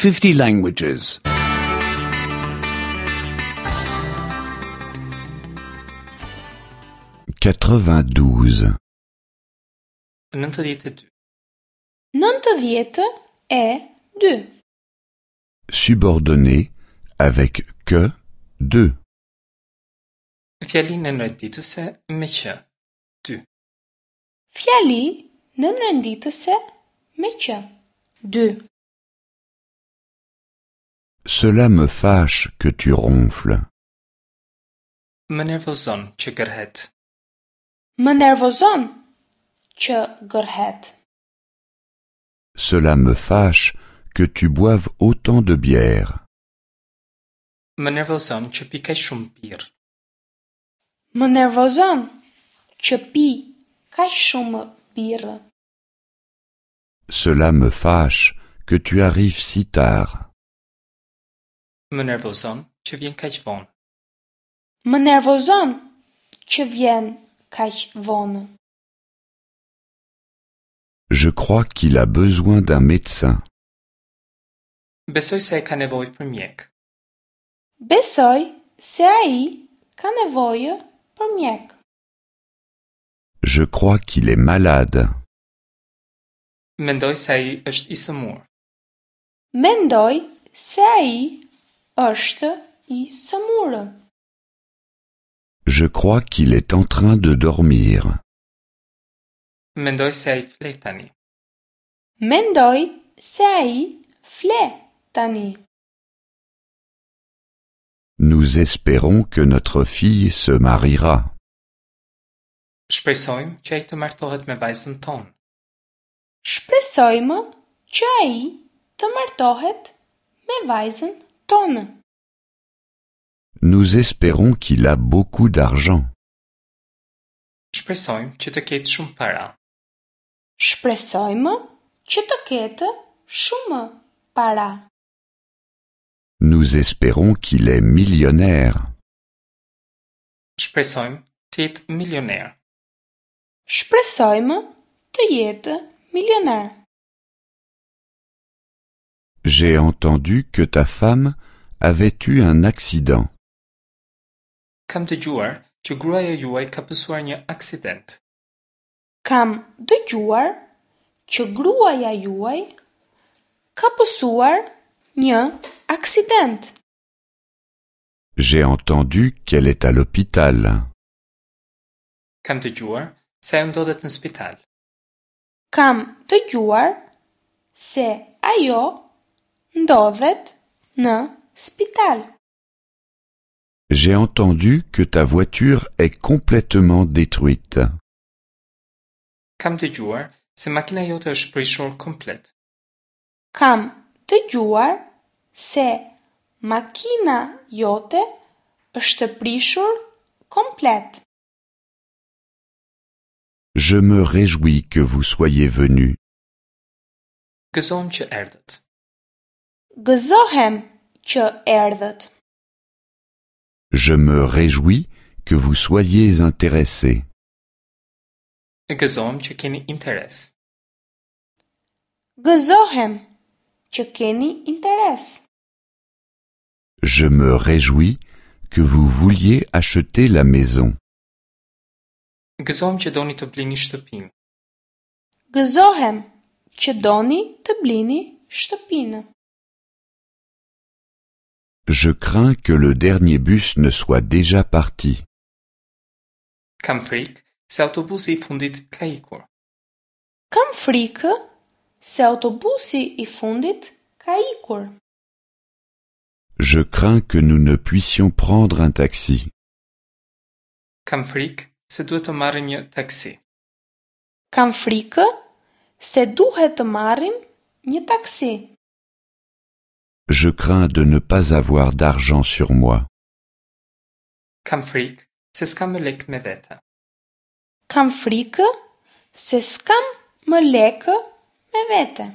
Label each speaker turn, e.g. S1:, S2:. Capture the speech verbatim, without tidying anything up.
S1: fifty languages.
S2: quatre-vingt-douze.
S3: Nëntëdhjetë e dy.
S4: Nëntëdhjetë e dy.
S2: Subordonné avec que de.
S3: Fjali nënrenditëse me që. Dy.
S4: Fjali nënrenditëse me që. Dy.
S2: Cela me fâche que tu ronfles.
S3: Më nervozon që gërhet.
S4: Më nervozon që gërhet.
S2: Cela me fâche que tu boives autant de bière.
S3: Më nervozon që pi kaq shumë birrë.
S4: Më nervozon që pi kaq shumë birrë.
S2: Cela me fâche que tu arrives si tard.
S3: Më nervozon që vjen kaq vonë.
S4: Më nervozon që vjen kaq vonë.
S2: Je crois qu'il a besoin d'un médecin.
S3: Besoj se ai ka nevojë për mjek.
S4: Besoj se ai ka nevojë për mjek.
S2: Je crois qu'il est malade.
S3: Mendoj se ai është i sëmurë.
S4: Mendoj se ai është i sëmurë.
S2: Je crois qu'il est en train de dormir.
S3: Mendoj se ai fle tani.
S4: Mendoj se ai fle tani.
S2: Nous espérons que notre fille se mariera.
S3: Shpresojmë që ai të martohet me vajzën tonë.
S4: Shpresojmë që ai të martohet me vajzën tonë.
S2: Nous espérons qu'il a beaucoup d'argent.
S3: Shpresojmë që të ketë shumë para.
S4: Shpresojmë që të ketë shumë para.
S2: Nous espérons qu'il est millionnaire.
S3: Shpresojmë të jetë milioner.
S4: Shpresojmë të jetë milioner.
S2: J'ai entendu que ta femme avait eu un accident.
S3: Kam dëgjuar që gruaja juaj ka pësuar një aksident.
S4: Kam dëgjuar që gruaja juaj ka pësuar një aksident.
S2: J'ai entendu qu'elle est à l'hôpital.
S3: Kam dëgjuar se ajo ndodhet në spital.
S4: Kam dëgjuar se ajo ndodhet në spital.
S2: J'ai entendu que ta voiture est complètement détruite.
S3: Kam dëgjuar se makina jote është prishur komplet.
S4: Kam dëgjuar se makina jote është prishur komplet.
S2: Je me réjouis que vous soyez venu.
S3: Gëzohem që erdhët.
S4: Gëzohem që erdhët.
S2: Je me réjouis que vous soyez intéressé.
S3: Gëzohem që keni interes.
S4: Gëzohem që keni interes.
S2: Je me réjouis que vous vouliez acheter la maison.
S3: Gëzohem që doni të blini shtëpinë.
S4: Gëzohem që doni të blini shtëpinë.
S2: Je crains que le dernier bus ne soit déjà parti.
S3: Kam frikë se autobusi i fundit ka ikur.
S4: Kam frikë se autobusi i fundit ka ikur.
S2: Je crains que nous ne puissions prendre un taxi.
S3: Kam frikë se duhet të marrim një taksi.
S4: Kam frikë se duhet të marrim një taksi.
S2: Je crains de ne pas avoir d'argent sur moi.
S3: Kam frikë se s'kam më lekë me vete.
S4: Kam frikë se s'kam më lekë me vete.